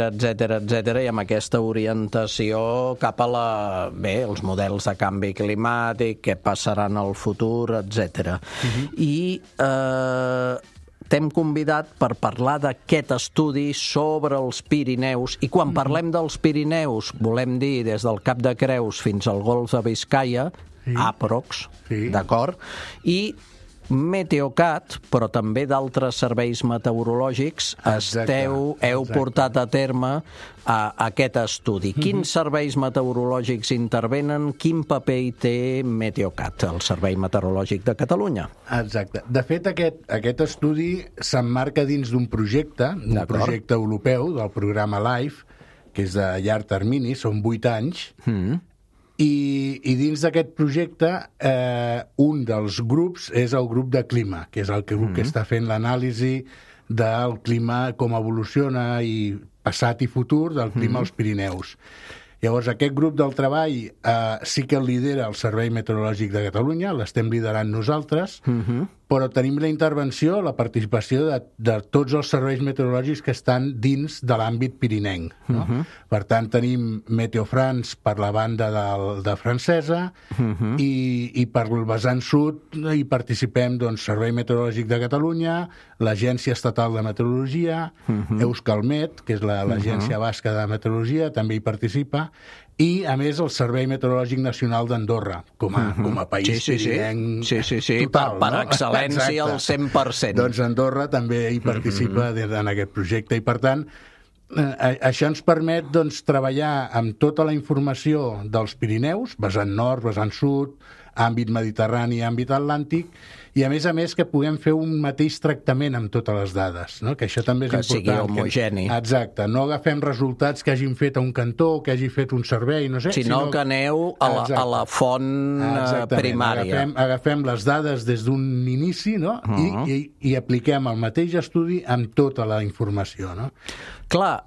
i amb aquesta orientació cap a els models de canvi climàtic, què passarà en el futur, etc. I t'hem convidat per parlar d'aquest estudi sobre els Pirineus, i quan parlem dels Pirineus volem dir des del Cap de Creus fins al Golf de Biscaia, aprox, d'acord? I Meteocat, però també d'altres serveis meteorològics, heu portat a terme aquest estudi. Quins serveis meteorològics intervenen? Quin paper hi té Meteocat, el Servei Meteorològic de Catalunya? Exacte. De fet, aquest estudi s'emmarca dins d'un projecte europeu del programa LIFE, que és de llarg termini, són 8 anys, i dins d'aquest projecte un dels grups és el grup de clima, que és el grup que està fent l'anàlisi del clima, com evoluciona i passat i futur del clima als Pirineus. Llavors, aquest grup del treball sí que el lidera el Servei Meteorològic de Catalunya, l'estem liderant nosaltres, però tenim la intervenció, la participació de tots els serveis meteorològics que estan dins de l'àmbit pirinenc. Per tant, tenim Meteofrance per la banda de francesa i per el vessant sud hi participem Servei Meteorològic de Catalunya, l'Agència Estatal de Meteorologia, Euskalmet, que és l'Agència Basca de Meteorologia, també hi participa, i, a més, el Servei Meteorològic Nacional d'Andorra, com a país pirinenc total. Per excel·lència al 100%. Doncs Andorra també hi participa en aquest projecte, i per tant, això ens permet treballar amb tota la informació dels Pirineus, vessant nord, vessant sud, àmbit mediterrani, àmbit atlàntic, i a més que puguem fer un mateix tractament amb totes les dades, no? Que això també és important. Que sigui homogeni. Exacte, no agafem resultats que hagin fet a un cantó, que hagi fet un servei, no sé. Sinó que aneu a la font primària. Agafem les dades des d'un inici, no? I apliquem el mateix estudi amb tota la informació, no? Clar,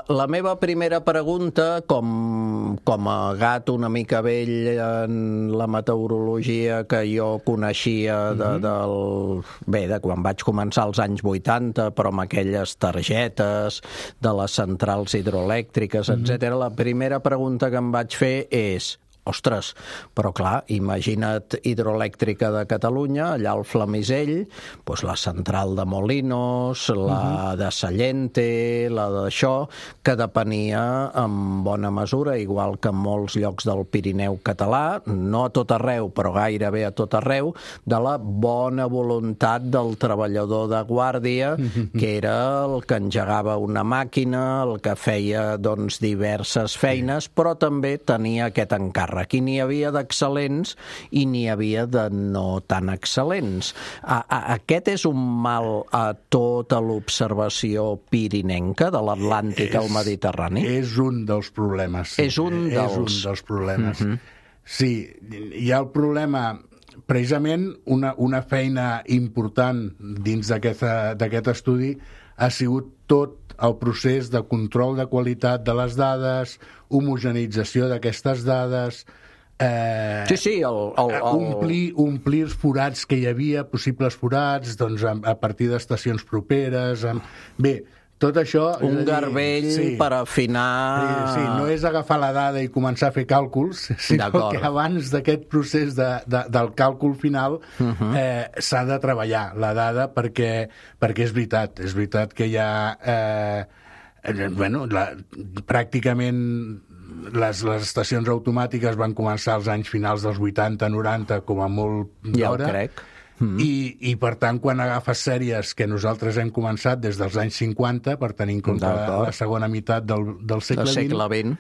la meva primera pregunta, com a gat una mica vell en la meteorologia que jo coneixia de quan vaig començar als anys 80, però amb aquelles targetes de les centrals hidroelèctriques, etc. La primera pregunta que em vaig fer és: ostres, però clar, imagina't Hidroelèctrica de Catalunya, allà al Flamisell, doncs la central de Molinos, la de Sallente, la d'això, que depenia en bona mesura, igual que en molts llocs del Pirineu català, no a tot arreu, però gairebé a tot arreu, de la bona voluntat del treballador de guàrdia, que era el que engegava una màquina, el que feia diverses feines, però també tenia aquest encàrrec. Aquí n'hi havia d'excel·lents i n'hi havia de no tan excel·lents. Aquest és un mal a tota l'observació pirinenca de l'Atlàntic al Mediterrani? És un dels problemes. Sí. És un dels problemes. Sí, hi ha el problema. Precisament una feina important dins d'aquest estudi ha sigut tot el procés de control de qualitat de les dades, homogenització d'aquestes dades, omplir els forats que hi havia, possibles forats, a partir d'estacions properes. Bé, tot això... Un garbell per afinar... Sí, no és agafar la dada i començar a fer càlculs, sinó que abans d'aquest procés del càlcul final s'ha de treballar la dada perquè és veritat que hi ha... pràcticament les estacions automàtiques van començar als anys finals dels 80-90 com a molt d'hora. Ja ho crec. I per tant, quan agafes sèries que nosaltres hem començat des dels anys 50, per tenir en compte la segona meitat del segle XX,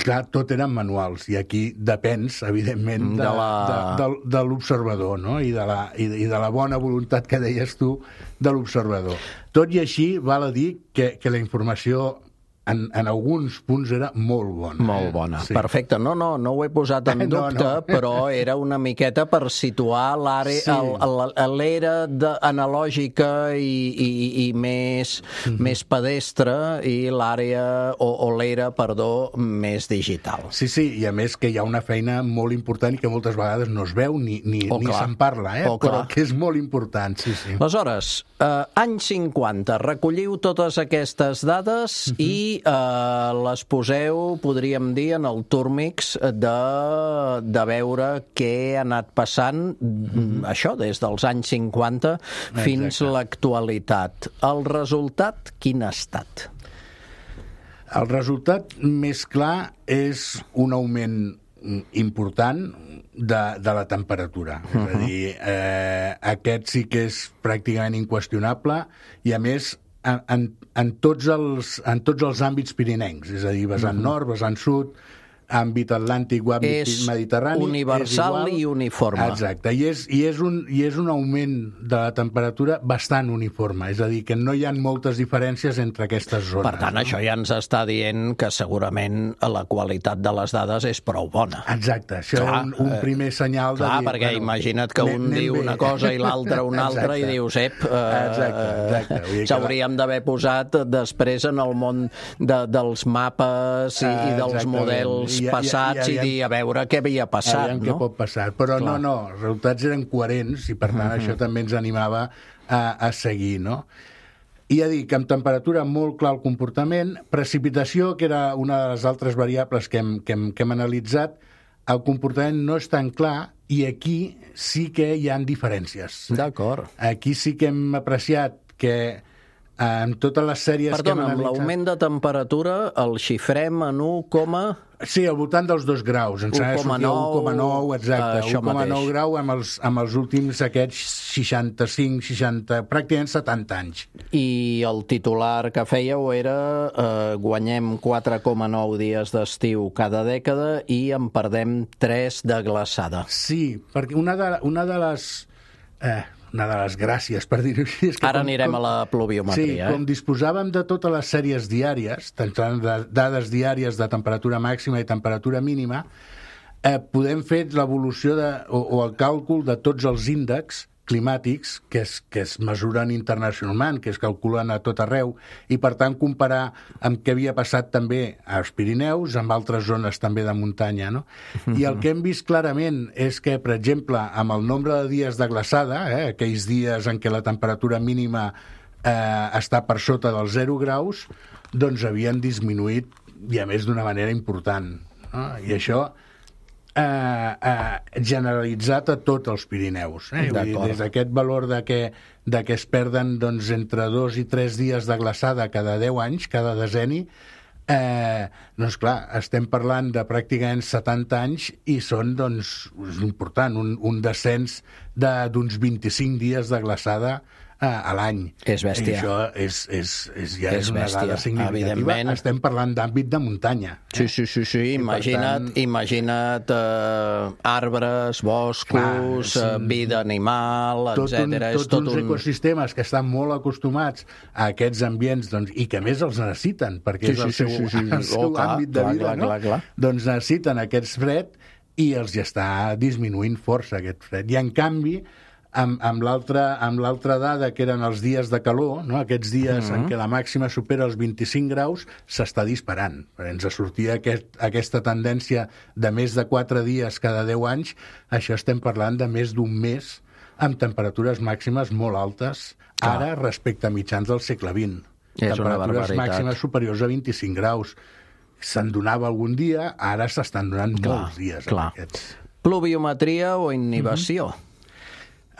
clar, tot eren manuals, i aquí depens, evidentment, de l'observador, no? I de la bona voluntat que deies tu de l'observador. Tot i així, val a dir que la informació en alguns punts era molt bona. Molt bona, Sí. perfecte. No ho he posat en dubte, però era una miqueta per situar l'era analògica i més pedestre i l'àrea, o l'era, perdó, més digital. Sí, i a més que hi ha una feina molt important i que moltes vegades no es veu ni se'n parla, però que és molt important, sí. Aleshores, anys 50, recolliu totes aquestes dades i les poseu, podríem dir, en el Turmix de veure què ha anat passant, això, des dels anys 50 fins a l'actualitat. El resultat, quin ha estat? El resultat més clar és un augment important de la temperatura. És a dir, aquest sí que és pràcticament inqüestionable i, a més, en tots els àmbits pirinencs, és a dir, vessant nord, vessant sud, àmbit atlàntic o àmbit mediterrani... És universal i uniforme. Exacte, i és un augment de la temperatura bastant uniforme, és a dir, que no hi ha moltes diferències entre aquestes zones. Per tant, això ja ens està dient que segurament la qualitat de les dades és prou bona. Exacte, això és un primer senyal de dir... Clar, perquè imagina't que un diu una cosa i l'altre una altra i dius, s'hauríem d'haver posat després en el món dels mapes i dels models passats i dir, a veure què havia passat, què pot passar. Però no, els resultats eren coherents i, per tant, això també ens animava a seguir, no? I a dir que amb temperatura molt clar el comportament, precipitació, que era una de les altres variables que hem analitzat, el comportament no és tan clar i aquí sí que hi ha diferències. D'acord. Aquí sí que hem apreciat que en totes les sèries que hem analitzat... amb l'augment de temperatura el xifrem en 1, Sí, al voltant dels 2 graus. Ens ha de sortir 1,9, exacte. 1,9 grau amb els últims aquests 65, 60, pràcticament 70 anys. I el titular que fèieu era guanyem 4,9 dies d'estiu cada dècada i en perdem 3 de glaçada. Sí, perquè una de les gràcies, per dir-ho així... És que ara anirem a la pluviometria. Sí, com disposàvem de totes les sèries diàries, tant de dades diàries de temperatura màxima i temperatura mínima, podem fer l'evolució o el càlcul de tots els índexs climàtics que es mesuren internacionalment, que es calculen a tot arreu, i per tant comparar amb què havia passat també als Pirineus, amb altres zones també de muntanya, no? I el que hem vist clarament és que, per exemple, amb el nombre de dies de glaçada, aquells dies en què la temperatura mínima està per sota dels 0 graus, doncs havien disminuït, i a més d'una manera important, no? I això generalitzat a tots els Pirineus. Vull dir, des d'aquest valor de que es perden entre 2 i 3 dies de glaçada cada 10 anys, cada decenni, doncs clar, estem parlant de pràcticament 70 anys i són, doncs, és important, un descens d'uns 25 dies de glaçada a l'any. És bèstia. I això és una dada significativa. Evidentment. Estem parlant d'àmbit de muntanya. Sí. Imagina't arbres, boscos, vida animal, etc. Tots uns ecosistemes que estan molt acostumats a aquests ambients i que més els necessiten, perquè és el seu àmbit de vida, no? Doncs necessiten aquest fred i els hi està disminuint força aquest fred. I en canvi, amb l'altra dada, que eren els dies de calor, no? Aquests dies en què la màxima supera els 25 graus, s'està disparant. Ens sortia aquesta tendència de més de 4 dies cada 10 anys, això estem parlant de més d'un mes amb temperatures màximes molt altes, ara respecte a mitjans del segle XX. Temperatures màximes superiors a 25 graus. Se'n donava algun dia, ara s'estan donant molts dies. Pluviometria o inhibició?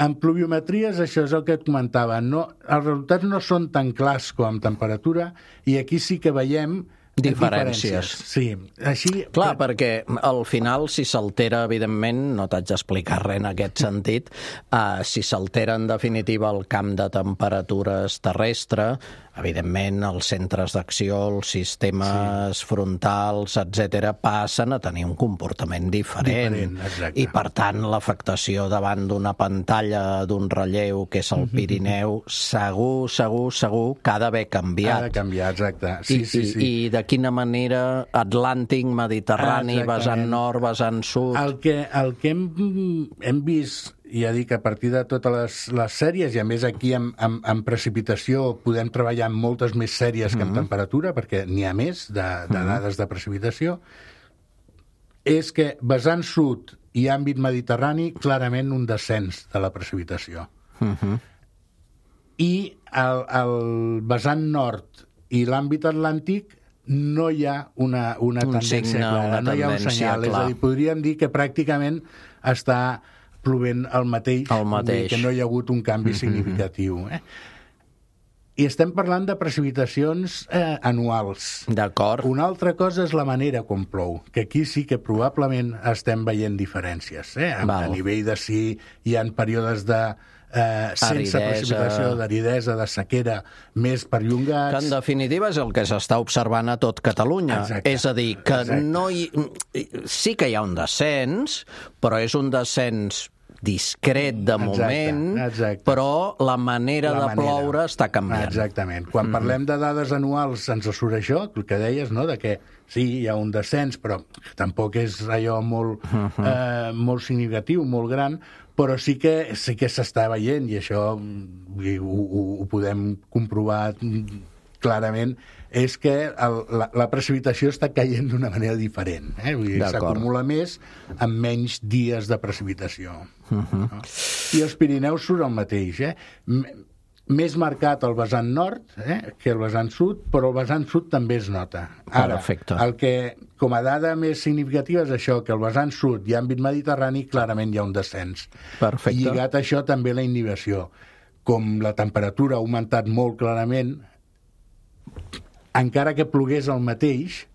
En pluviometries, això és el que et comentava, els resultats no són tan clars com amb temperatura, i aquí sí que veiem diferències. Sí, així... Clar, perquè al final, si s'altera, evidentment, no t'haig d'explicar res en aquest sentit, si s'altera en definitiva el camp de temperatures terrestre, evidentment els centres d'acció, els sistemes frontals, etc., passen a tenir un comportament diferent. I, per tant, l'afectació davant d'una pantalla, d'un relleu, que és el Pirineu, segur que ha d'haver canviat. Ha de canviar, exacte. I de quina manera Atlàntic, Mediterrani, vessant nord, vessant sud... El que hem vist, ja dic, a partir de totes les sèries, i a més aquí en precipitació podem treballar amb moltes més sèries que en temperatura, perquè n'hi ha més de dades de precipitació, és que vessant sud i àmbit mediterrani, clarament un descens de la precipitació. I el vessant nord i l'àmbit atlàntic no hi ha una tendència clara, no hi ha un senyal. És a dir, podríem dir que pràcticament està plovent el mateix. Que no hi ha hagut un canvi significatiu. I estem parlant de precipitacions anuals. D'acord. Una altra cosa és la manera com plou, que aquí sí que probablement estem veient diferències. A nivell de si hi ha períodes de sense precipitació, d'aridesa, de sequera, més perllongats... Que en definitiva és el que s'està observant a tot Catalunya. És a dir, que sí que hi ha un descens, però és un descens discret de moment, però la manera de ploure està canviant. Exactament. Quan parlem de dades anuals ens surt això, el que deies, no?, de que sí, hi ha un descens, però tampoc és allò molt significatiu, molt gran, però sí que s'està veient, i això ho podem comprovar clarament, és que la precipitació està caient d'una manera diferent. S'acumula més amb menys dies de precipitació. I els Pirineus surt el mateix. Més marcat el vessant nord que el vessant sud, però el vessant sud també es nota. Ara, el que, com a dada més significativa, és això, que el vessant sud i àmbit mediterrani clarament hi ha un descens. I lligat a això també la inhibició. Com la temperatura ha augmentat molt clarament, encara que plogués el mateix,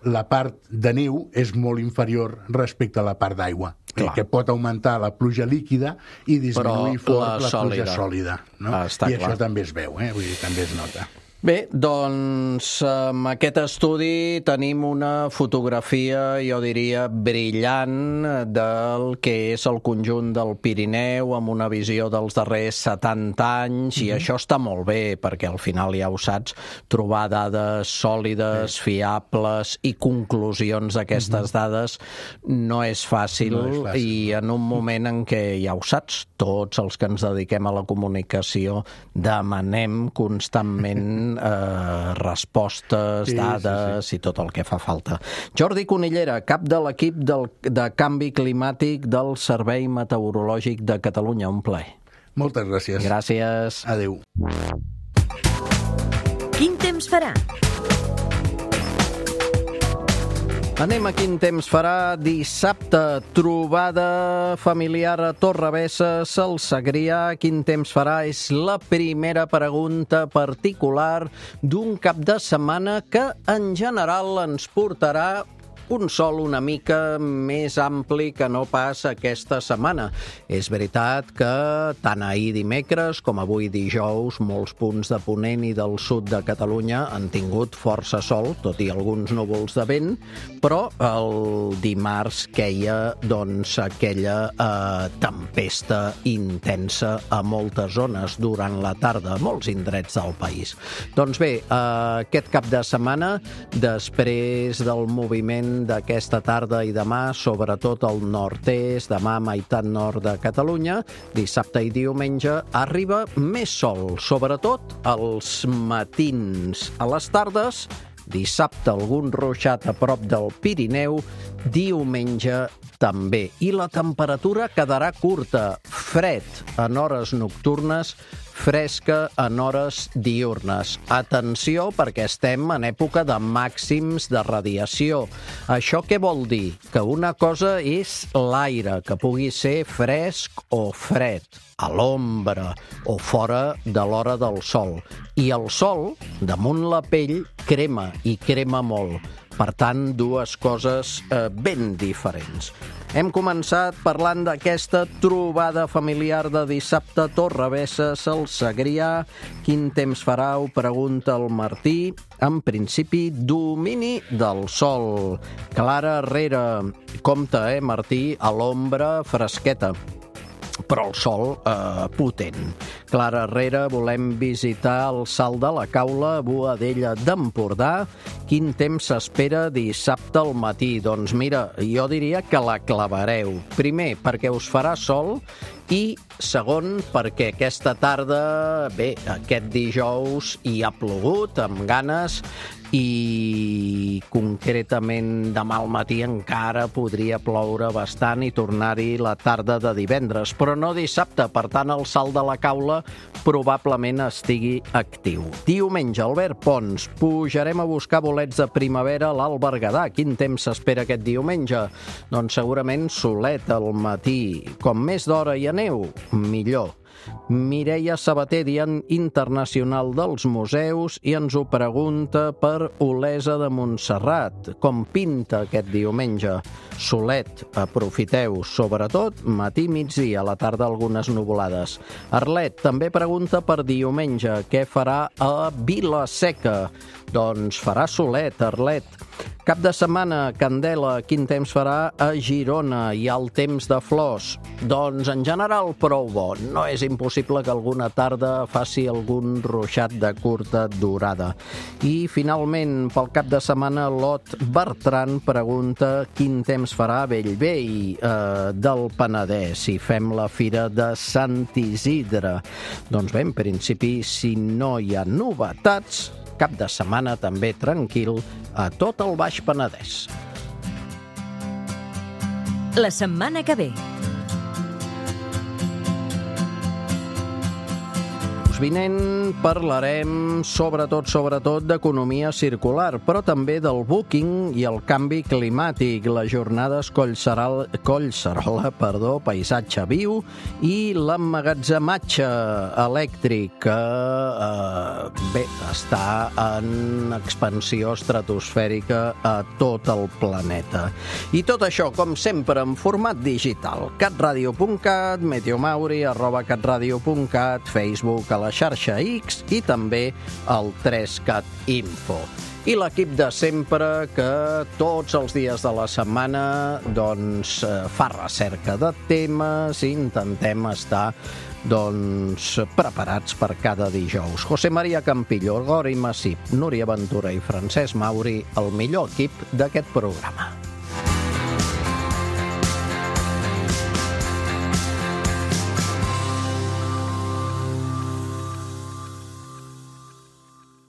la part de neu és molt inferior respecte a la part d'aigua, que pot augmentar la pluja líquida i disminuir fort la pluja sòlida. I això també es veu, vull dir, també es nota. Bé, doncs amb aquest estudi tenim una fotografia, jo diria, brillant del que és el conjunt del Pirineu amb una visió dels darrers 70 anys, i això està molt bé, perquè al final, ja ho saps, trobar dades sòlides, fiables i conclusions d'aquestes dades no és fàcil, i en un moment en què, ja ho saps, tots els que ens dediquem a la comunicació demanem constantment respostes, dades i tot el que fa falta. Jordi Conillera, cap de l'equip de canvi climàtic del Servei Meteorològic de Catalunya. Un plaer. Moltes gràcies. Gràcies. Adéu. Quin temps farà? Anem a quin temps farà. Dissabte, trobada familiar a Torrebesses, al Segrià. Quin temps farà? És la primera pregunta particular d'un cap de setmana que, en general, ens portarà un sol una mica més ampli que no pas aquesta setmana. És veritat que tant ahir dimecres com avui dijous molts punts de Ponent i del sud de Catalunya han tingut força sol, tot i alguns núvols de vent, però el dimarts queia aquella tempesta intensa a moltes zones durant la tarda, a molts indrets del país. Doncs bé, aquest cap de setmana, després del moviment d'aquesta tarda i demà, sobretot al nord-est, demà meitat nord de Catalunya, dissabte i diumenge, arriba més sol, sobretot als matins. A les tardes, dissabte algun ruixat a prop del Pirineu, diumenge també. I la temperatura quedarà curta, fred en hores nocturnes, fresca en hores diürnes. Atenció, perquè estem en època de màxims de radiació. Això què vol dir? Que una cosa és l'aire, que pugui ser fresc o fred, a l'ombra o fora de l'hora del sol. I el sol, damunt la pell, crema, i crema molt. Per tant, dues coses ben diferents. Hem començat parlant d'aquesta trobada familiar de dissabte, Torrebesses, el Segrià. Quin temps farà? Ho pregunta el Martí. En principi, domini del sol. Clara Herrera, compte, Martí, a l'ombra fresqueta, però el sol potent. Clara Herrera, volem visitar el Salt de la Caula, a Boadella d'Empordà. Quin temps s'espera dissabte al matí? Doncs mira, jo diria que la clavareu. Primer, perquè us farà sol, i segon, perquè aquesta tarda, bé, aquest dijous hi ha plogut amb ganes, i concretament demà al matí encara podria ploure bastant i tornar-hi la tarda de divendres, però no dissabte. Per tant, el Salt de la Caula probablement estigui actiu. Diumenge, Albert Pons, pujarem a buscar bolets de primavera a l'Alt Berguedà. Quin temps s'espera aquest diumenge? Doncs segurament solet al matí. Com més d'hora hi aneu, millor. Mireia Sabater, Dia Internacional dels Museus, i ens ho pregunta per Olesa de Montserrat. Com pinta aquest diumenge? Solet, aprofiteu, sobretot matí, migdia, a la tarda algunes nuvolades. Arlet també pregunta per diumenge, què farà a Vila-seca? Doncs farà solet, Arlet. Cap de setmana, Candela, quin temps farà a Girona? Hi ha el temps de flors. Doncs en general prou bo. No és impossible que alguna tarda faci algun ruixat de curta durada. I finalment, pel cap de setmana, Lot Bertran pregunta quin temps farà a Bellvei del Penedès, si fem la fira de Sant Isidre. Doncs bé, en principi, si no hi ha novetats, cap de setmana també tranquil a tot el Baix Penedès. La setmana que ve. Vinent parlarem sobretot d'economia circular, però també del booking i el canvi climàtic, les jornades Collserola, paisatge viu, i l'emmagatzematge elèctric, que bé, està en expansió estratosfèrica a tot el planeta. I tot això, com sempre, en format digital. catradio.cat, meteomauri, @catradio.cat, Facebook, a la xarxa X i també al 3cat Info. I l'equip de sempre, que tots els dies de la setmana doncs fa recerca de temes i intentem estar preparats per cada dijous. José María Campillo, Gori Massip, Núria Ventura i Francesc Mauri, el millor equip d'aquest programa.